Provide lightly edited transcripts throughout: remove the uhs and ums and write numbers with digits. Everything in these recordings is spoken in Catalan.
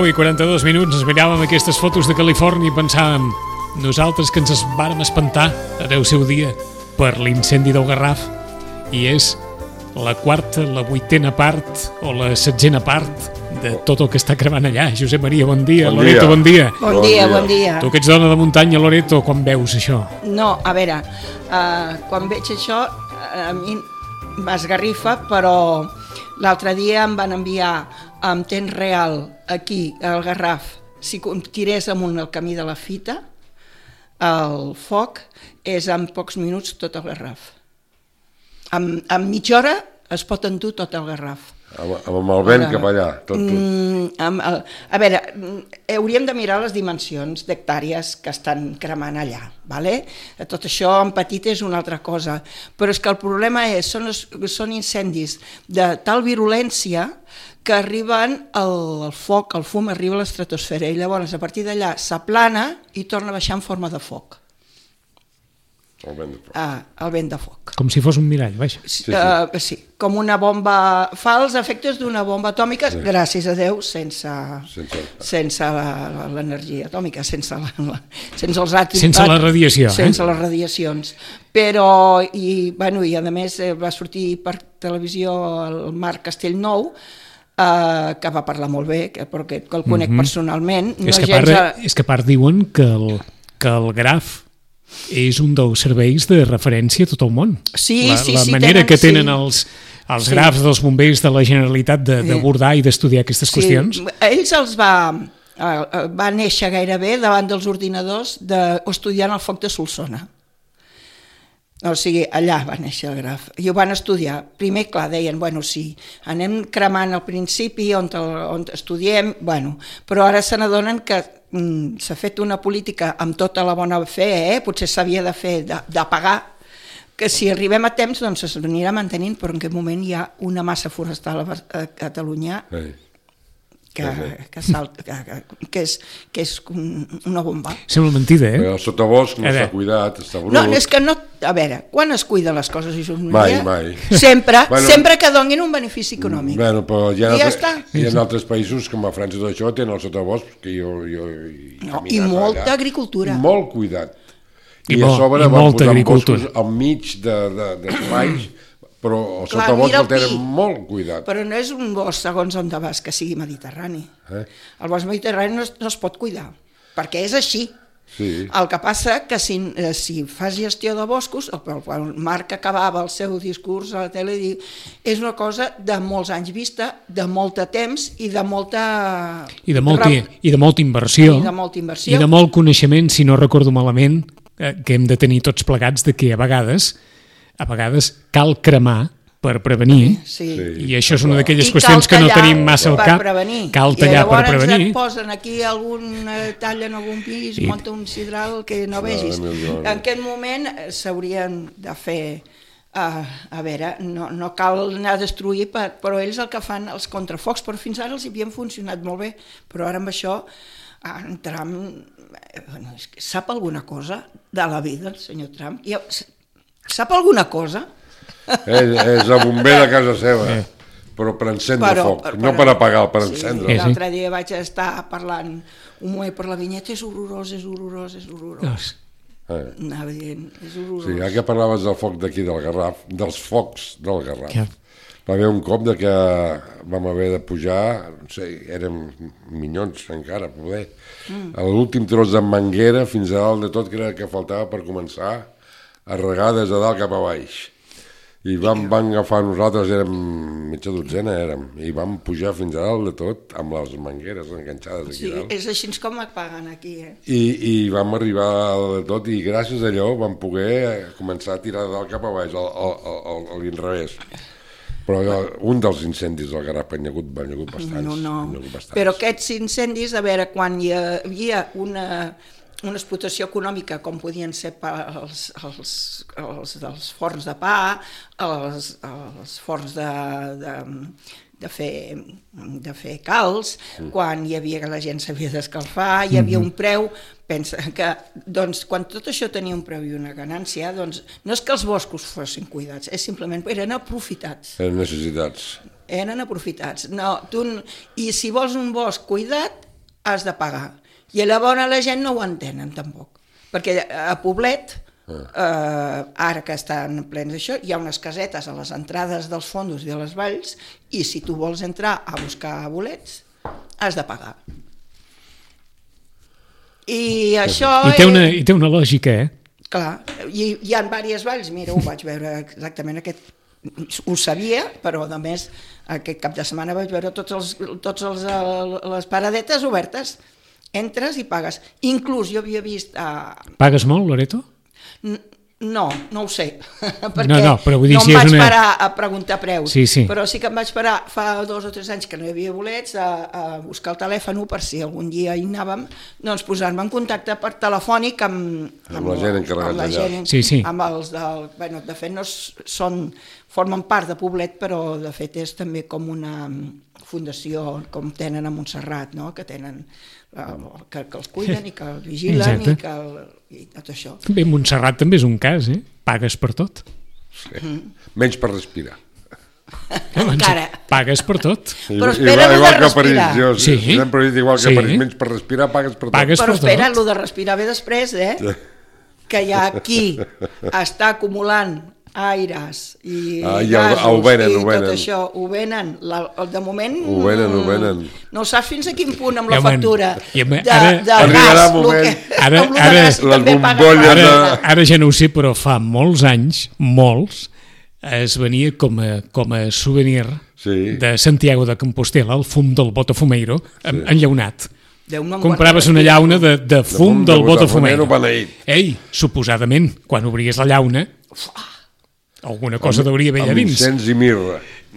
I 42 minuts, ens miràvem aquestes fotos de Califòrnia i pensàvem, nosaltres que ens vàrem espantar en el seu dia per l'incendi del Garraf, i és la quarta, la vuitena part o la setzena part de tot el que està cremant allà. Josep Maria, bon dia. Loreto, bon dia. Bon dia. Tu que ets dona de muntanya, Loreto, quan veus això? No, a veure, quan veig això a mi m'esgarrifa, però l'altre dia em van enviar en temps real aquí al Garraf, si tirés amunt el camí de la Fita, el foc és en pocs minuts tot el Garraf. En mitja hora es pot endur tot el Garraf. Amb el vent cap allà. A veure, hauríem de mirar les dimensions d'hectàrees que estan cremant allà. Tot això en petit és una altra cosa, però és que el problema són incendis de tal virulència que arriben el foc, el fum arriba a l'estratosfera i llavors a partir d'allà s'aplana i torna a baixar en forma de foc. El vent de foc. El vent de foc. Com si fos un mirall, vaja. Sí, com una bomba, fa els efectes d'una bomba atòmica, gràcies a Déu, sense l'energia atòmica, sense els àtoms. Sense la radiació. Sense les radiacions. Però, i a més va sortir per televisió el Marc Castellnou, que va parlar molt bé, perquè el conec personalment. És que a part diuen que el Graf és un dels serveis de referència a tot el món. La manera que tenen els grafs dels bombers de la Generalitat d'abordar i d'estudiar aquestes qüestions. Ells va néixer gairebé davant dels ordinadors estudiant el foc de Solsona. O sigui, allà va néixer el Graf. I ho van estudiar. Primer, clar, deien, sí, anem cremant al principi on estudiem, però ara se n'adonen que s'ha fet una política amb tota la bona fe, potser s'havia de fer, d'apagar, que si arribem a temps doncs s'anirà mantenint, però en aquest moment hi ha una massa forestal a Catalunya que és una bomba. Sembla mentida, El sotabosc no s'ha cuidat, està brut. No, és que no... A veure, quan es cuiden les coses? Mai. Sempre que donin un benefici econòmic. Però hi ha altres països, com a França i tot això, tenen el sotabosc, que jo i molta agricultura. Molt cuidat. I a sobre van posar boscos al mig d'espais, però el sotabosc el tenen molt cuidat. Però no és un bosc, segons on vas, que sigui mediterrani. El bosc mediterrani no es pot cuidar, perquè és així. El que passa que si fas gestió de boscos, el Marc acabava el seu discurs a la tele i diu, és una cosa de molts anys vista, de molt temps i de molta... I de molta inversió. I de molt coneixement, si no recordo malament, que hem de tenir tots plegats de que a vegades cal cremar per prevenir, i això és una d'aquelles qüestions que no tenim massa al cap. Cal tallar per prevenir. I llavors et posen aquí tallen algun pis, munta un sidral que no vegis. En aquest moment s'haurien de fer, a veure, no cal anar a destruir, però ells el que fan, els contrafocs, però fins ara els havien funcionat molt bé, però ara amb això en Trump sap alguna cosa de la vida, el senyor Trump? Sap alguna cosa? És el bomber de casa seva, però per encendre foc, no per apagar, per encendre. L'altre dia vaig estar parlant un moment per la vinyeta, és horrorós. Anava dient, és horrorós. Sí, ja que parlaves del foc d'aquí del Garraf, dels focs del Garraf, va haver un cop que vam haver de pujar, no sé, érem minyons encara, poder, a l'últim tros de manguera fins a dalt de tot, que era el que faltava per començar a regades de dalt cap a baix. I van agafar nosaltres, érem mitja dotzena, i vam pujar fins a dalt de tot, amb les mangueres enganxades aquí dalt. És així com et paguen aquí, I vam arribar a de tot, i gràcies a allò vam poder començar a tirar de dalt cap a baix, a l'inrevés. Però un dels incendis del Garraf han hagut bastants. No. Però aquests incendis, a veure, quan hi havia una explotació econòmica com podien ser els forns de pa, els forns de fer calç, quan hi havia que la gent s'havia d'escalfar, hi havia un preu, pensa que doncs, quan tot això tenia un preu i una ganància, doncs, no és que els boscos fossin cuidats, és simplement eren aprofitats. Eren necessitats. Eren aprofitats. No, i si vols un bosc cuidat, has de pagar. I llavors la gent no ho entenen tampoc, perquè a Poblet, ara que estan plens d'això, hi ha unes casetes a les entrades dels fondos i de les valls, i si tu vols entrar a buscar bolets, has de pagar. I això... I té una lògica, Clar, hi ha diverses valls, mira, ho vaig veure exactament aquest... Ho sabia, però a més aquest cap de setmana vaig veure totes les paradetes obertes. Entres i pagues. Inclús jo havia vist... Pagues molt, Loreto? No ho sé, perquè però vull dir, no em vaig parar a preguntar preus, però sí que em vaig parar fa 2 o 3 anys que no hi havia bolets a buscar el telèfon per si algun dia hi anàvem, doncs posar-me en contacte per telefònic amb la gent encarregada allà. Amb els de fet no formen part de Poblet, però de fet és també com una fundació com tenen a Montserrat, no? Que tenen que els cuiden i que els vigilen i tot això. Bé, Montserrat també és un cas, pagues per tot. Sí. Menys per respirar. Encara. Pagues per tot. Però espera lo de respirar. Sempre he dit igual que menys per respirar, pagues per tot. Però espera, lo de respirar ve després, que hi ha qui està acumulant aires i gasos i tot això, ho venen, de moment ho venen. No saps fins a quin punt amb la factura de gas, les bombolles ara ja no ho sé, però fa molts anys, es venia com a souvenir de Santiago de Compostela, el fum del Botafumeiro enllaunat. Compraves una llauna de fum del Botafumeiro. Ei, suposadament, quan obries la llauna alguna cosa deuria haver allà dins. Amb incens i mirra.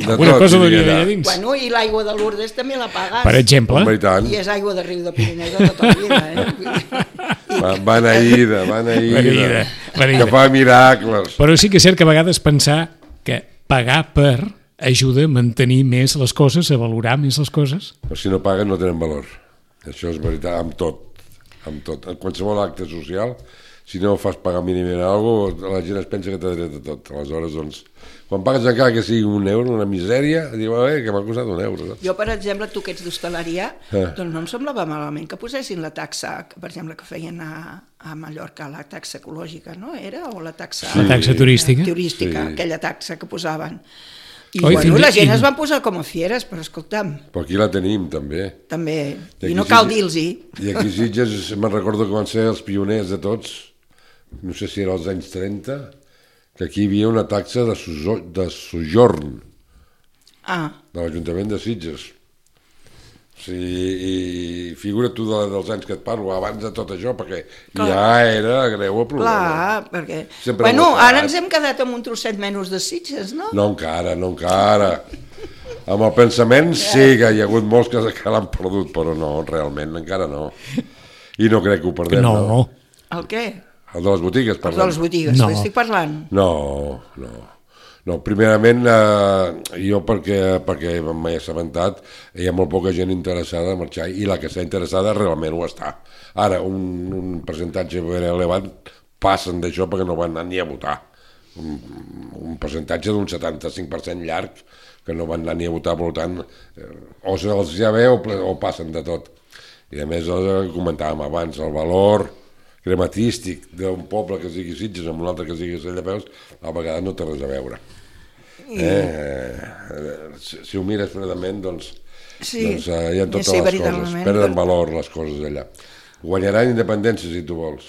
Alguna cosa deuria haver allà dins. Bueno, i l'aigua de Lourdes també la pagues. Per exemple. I és aigua de riu de Pirineu de tota la vida. Beneïda. Que fa miracles. Però sí que és cert que a vegades pensar que pagar per ajuda a mantenir més les coses, a valorar més les coses. Però si no paguen no tenen valor. Això és veritat, amb tot. En qualsevol acte social, si no fas pagar mínimament alguna cosa, la gent es pensa que t'ha dret a tot. Aleshores, doncs, quan pagues encara que sigui €1, una misèria, diu, que m'ha costat €1. Jo, per exemple, tu que ets d'hostaleria, doncs no em semblava malament que posessin la taxa, per exemple, que feien a Mallorca, la taxa ecològica, no era? O la taxa turística. Aquella taxa que posaven. I la gent es van posar com a fieres, però escolta'm... Però aquí la tenim, també. També, i no cal dir-los-hi. I aquí Sitges, me'n recordo que van ser els pioners de tots, no sé si era als anys 30, que aquí hi havia una taxa de sojorn de l'Ajuntament de Sitges. I figura tu dels anys que et parlo, abans de tot això, perquè ja era greu el problema. Clar, perquè... Bueno, ara ens hem quedat amb un trosset menys de Sitges, no? No encara. Amb el pensament sí que hi ha hagut molts que l'han perdut, però no, realment, encara no. I no crec que ho perdem, no? El què? El de les botigues, parlem. El de les botigues, estic parlant. No, primerament, jo perquè m'he assabentat, hi ha molt poca gent interessada a marxar, i la que està interessada realment ho està. Ara, un percentatge ben elevat passen d'això perquè no van anar ni a votar. Un percentatge d'un 75% llarg que no van anar ni a votar, per tant, o se'ls ja ve o passen de tot. I a més, comentàvem abans, el valor crematístic d'un poble que es digui Sitges amb un altre que es digui Cellapeus, a vegades no té res a veure. Si ho mires fredament, doncs hi ha totes les coses, perden valor les coses allà. Guanyarà independència si tu vols.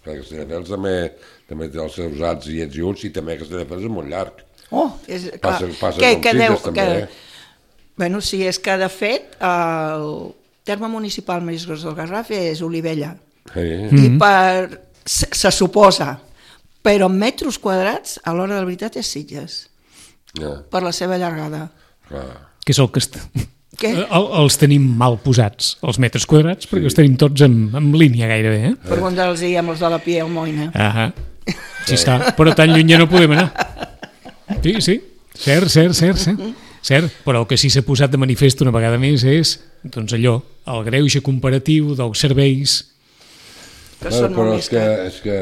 Castelldefels també té els seus ats i ets i uts, i també Castelldefels és molt llarg. Passa com Sitges, també. Bueno, sí, és que de fet el terme municipal més gros del Garraf és Olivella. I se suposa, però en metres quadrats, a l'hora de la veritat és Sitges, per la seva llargada. Que és el que els tenim mal posats, els metres quadrats, perquè els tenim tots en línia gairebé. Pregunta'ls-hi amb els de la Pia i el Moina. Sí està, però tan lluny ja no podem anar. Sí, cert, però el que sí s'ha posat de manifest una vegada més és, doncs allò, el greuge comparatiu dels serveis. Que són molt més cars. És que,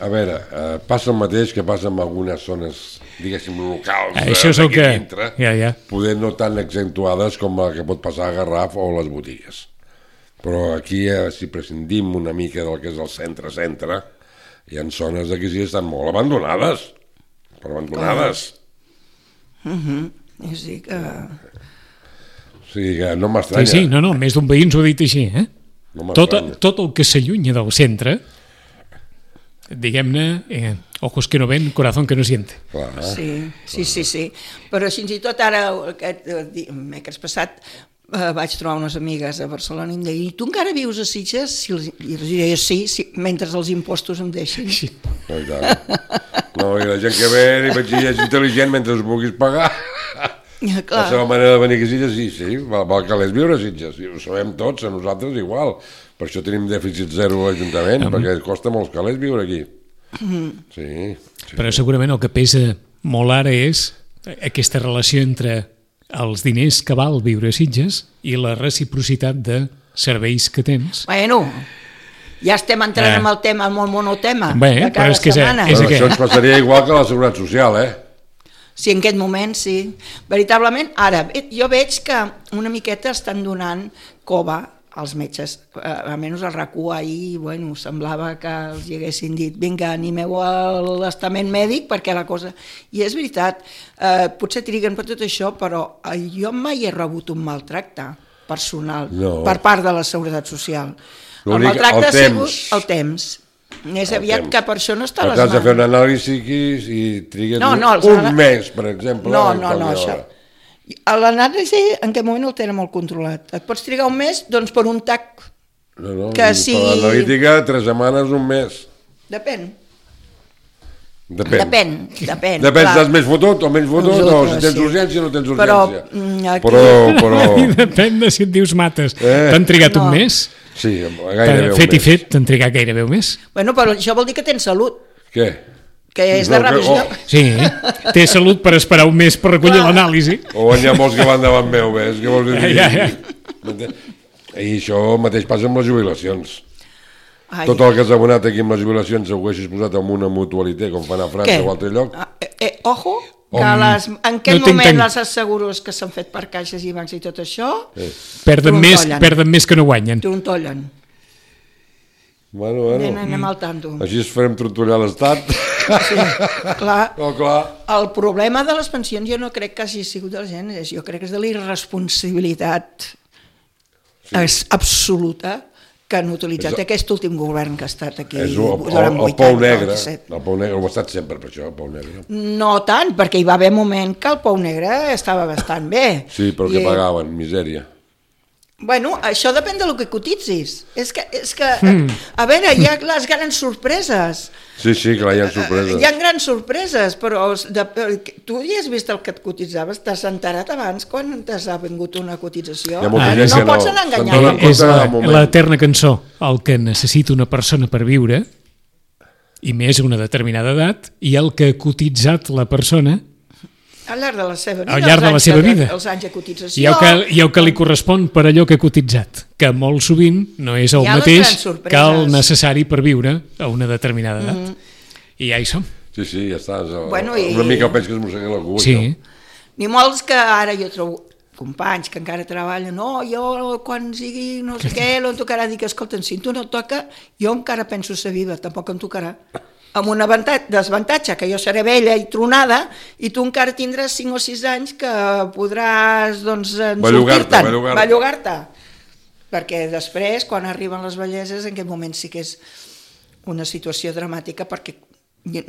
a veure, passa el mateix que passa en algunes zones, diguéssim, locals d'aquí dintre, poder no tan accentuades com la que pot passar a Garraf o a les botigues. Però aquí, si prescindim una mica del que és el centre-centre, hi ha zones d'aquí que estan molt abandonades. Sí que... O sigui que no m'estranya. Sí, no, més d'un veí ens ho ha dit així, No tot el que s'allunya del centre, diguem-ne, ojos que no ven, corazón que no siente. Sí. Però fins i tot ara, dimecres passat, vaig trobar unes amigues a Barcelona i em deien, i tu encara vius a Sitges? I els diria sí, mentre els impostos em deixin. No, i la gent que ve i vaig dir, és intel·ligent mentre us puguis pagar. La seva manera de venir a Sitges, sí, val calés viure a Sitges, ho sabem tots, a nosaltres igual. Per això tenim dèficit zero a l'Ajuntament, perquè costa molts calés viure aquí. Sí. Però segurament el que pesa molt ara és aquesta relació entre els diners que val viure a Sitges i la reciprocitat de serveis que tens. Bueno, ja estem entrant en el tema, en el monotema de cada setmana. Això ens passaria igual que la Seguretat Social, Sí, en aquest moment sí. Veritablement, ara, jo veig que una miqueta estan donant cova als metges. Almenys el RAC1 ahir, bueno, semblava que els hi haguessin dit vinga, animeu a l'estament mèdic perquè la cosa... I és veritat, potser triguen per tot això, però jo mai he rebut un maltracte personal per part de la Seguretat Social. El maltracte ha sigut el temps. Més aviat que per això no està a les mans. Has de fer un anàlisi i trigues un mes, per exemple. No, això. L'anàlisi en aquest moment el tenen molt controlat. Et pots trigar un mes, doncs per un TAC que sigui... Per l'analítica, 3 setmanes, un mes. Depèn. Depèn si estàs més fotut o menys fotut, o si tens urgència o no tens urgència. Però... Depèn de si et dius mates. T'han trigat un mes? Sí, gairebé un mes. Fet i fet, t'han trigat gairebé un mes. Bueno, però això vol dir que tens salut. Què? Que és de revisió. Sí, té salut per esperar un mes per recollir l'anàlisi. O n'hi ha molts que van davant meu, ves? Què vols dir? I això mateix passa amb les jubilacions. Tot el que has abonat aquí amb les jubilacions ho haguessis posat en una mutualitat, com fan a França o altre lloc. Ojo, que en aquest moment les asseguros que s'han fet per caixes i bancs i tot això perden més que no guanyen. Trontollen. Bueno. Anem al tanto. Així es farem trontollar l'Estat. Sí, clar. Clar. El problema de les pensions jo no crec que hagi sigut de la gent, jo crec que és de la irresponsabilitat absoluta que han utilitzat aquest últim govern que ha estat aquí durant 8 anys. El pou negre, ho ha estat sempre per això, el pou negre. No tant, perquè hi va haver un moment que el pou negre estava bastant bé. Sí, però que pagaven, misèria. Bueno, això depèn del que cotitzis. És que a veure, hi ha les grans sorpreses. Sí, clar, hi ha sorpreses. Hi ha grans sorpreses, però tu ja has vist el que et cotitzaves, t'has enterat abans quan t'ha vingut una cotització. No pots anar enganyant. És l'eterna cançó, el que necessita una persona per viure, i més a una determinada edat, i el que ha cotitzat la persona al llarg de la seva vida, al llarg de la seva vida. Els anys de cotització. I el que li correspon per allò que ha cotitzat, que molt sovint no és el mateix que el necessari per viure a una determinada edat. I ja hi som. Sí, ja està. Una mica penso que es mosseguen el cul. Sí. Ni molts que ara jo trobo companys que encara treballen, jo quan sigui no sé què, em tocarà dir que, escolta, si tu no et toca, jo encara penso ser viva, tampoc em tocarà. Amb un desavantatge, que jo seré vella i tronada i tu encara tindràs 5 o 6 anys que podràs sortir-te'n, bellugar-te. Perquè després, quan arriben les velleses, en aquest moment sí que és una situació dramàtica perquè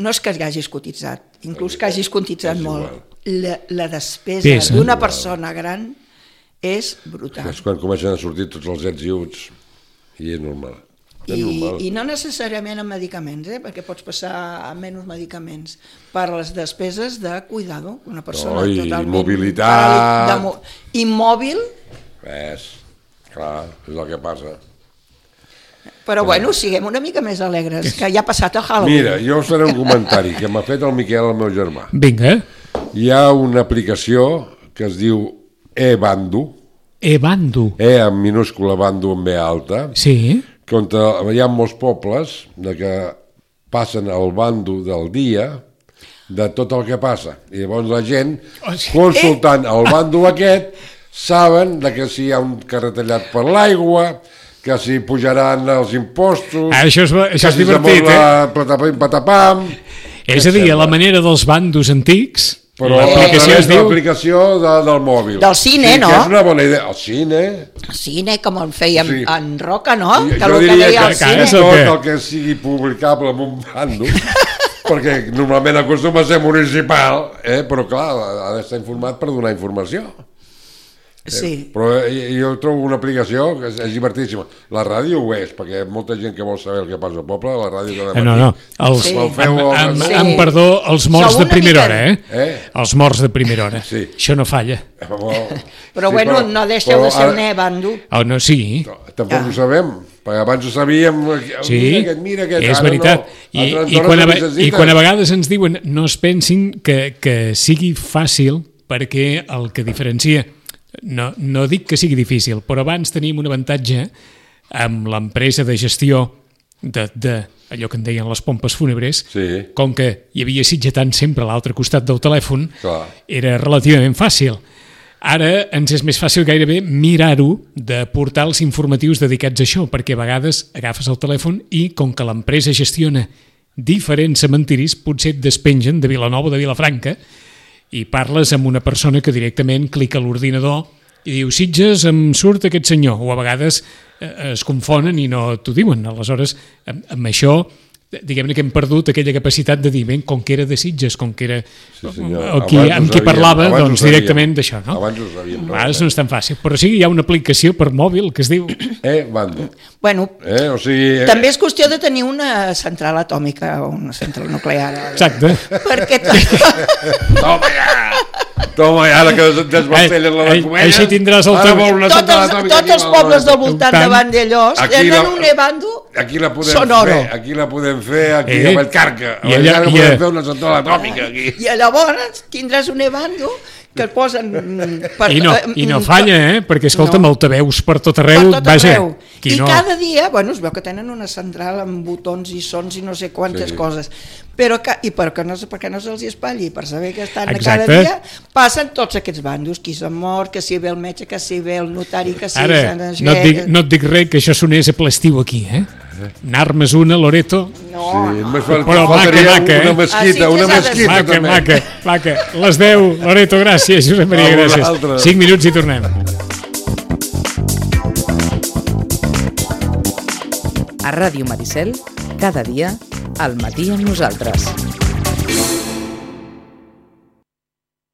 no és que hagis cotitzat, inclús que hagis cotitzat molt. La despesa d'una persona gran és brutal. És quan comencen a sortir tots els ets i uts i és normal. I no necessàriament amb medicaments, perquè pots passar a menys medicaments per les despeses de cuidado. Una persona totalment... Mobilitat... Immòbil... Clar, és el que passa. Però bueno, siguem una mica més alegres, que ja ha passat el Halloween. Mira, jo us faré un comentari que m'ha fet el Miquel, el meu germà. Vinga. Hi ha una aplicació que es diu eBandu. eBandu. En minúscula, Bandu amb B alta. Sí. Que on hi ha molts pobles que passen el bando del dia de tot el que passa. I llavors la gent, consultant el bando aquest, saben que si hi ha un carrer tallat per l'aigua, que si pujaran els impostos... Això és divertit, patapam... És a dir, a la manera dels bandos antics... Però l'aplicació del mòbil. Del cine, no? Que és una bona idea. El cine... El cine, com el fèiem en Roca, no? Jo diria que tot el que sigui publicable en un bando, perquè normalment acostuma a ser municipal, però clar, ha d'estar informat per donar informació. Sí. Però jo trobo una aplicació que és divertíssima. La ràdio ho és, perquè molta gent que vol saber el que passa al poble, la ràdio cada matí... No. Amb perdó, els morts de primera hora, Els morts de primera hora. Sí. Això no falla. Però bueno, no deixeu de ser un bando. No, sí. Tampoc ho sabem, perquè abans ho sabíem... Sí, mira aquest, és veritat. I quan a vegades ens diuen no es pensin que sigui fàcil, perquè el que diferencia... No dic que sigui difícil, però abans teníem un avantatge amb l'empresa de gestió de allò que en deien les pompes fúnebres, com que hi havia sitgetant sempre a l'altre costat del telèfon, era relativament fàcil. Ara ens és més fàcil gairebé mirar-ho de portals informatius dedicats a això, perquè a vegades agafes el telèfon i com que l'empresa gestiona diferents cementiris, potser et despengen de Vilanova o de Vilafranca, i parles amb una persona que directament clica a l'ordinador i diu Sitges, em surt aquest senyor, o a vegades es confonen i no t'ho diuen. Aleshores, amb això, diguem-ne que hem perdut aquella capacitat de dir, com que era de Sitges, com que era amb qui parlava, doncs directament d'això, no? Abans ho sabíem. A vegades no és tan fàcil, però sí, hi ha una aplicació per mòbil que es diu... Bando. Bueno, també és qüestió de tenir una central atòmica o una central nuclear. Exacte. Perquè... Toma ja, que desmantellen la comèdia. Així tindràs el teu... Tots els pobles del voltant de Vandellós tenen un bando sonoro. Aquí la podem fer, aquí a Vallcarca. A Vallcarca podem fer una central atòmica. I llavors tindràs un bando que et posen... I no falla, perquè escolta'm, altaveus per tot arreu, vaja. I cada dia, bueno, es veu que tenen una central amb botons i sons i no sé quantes coses, però perquè no se'ls espatlli, per saber que estan cada dia, passen tots aquests bandos, qui s'ha mort, que si ve el metge, que si ve el notari, que si... Ara, no et dic res que això sonés a ple estiu aquí, Anar-me's una, Loreto. No. Però una mesquita. Maca. Les 10, Loreto, gràcies, Josep Maria, gràcies. 5 minuts i tornem. A Ràdio Maricel, cada dia, al matí amb nosaltres.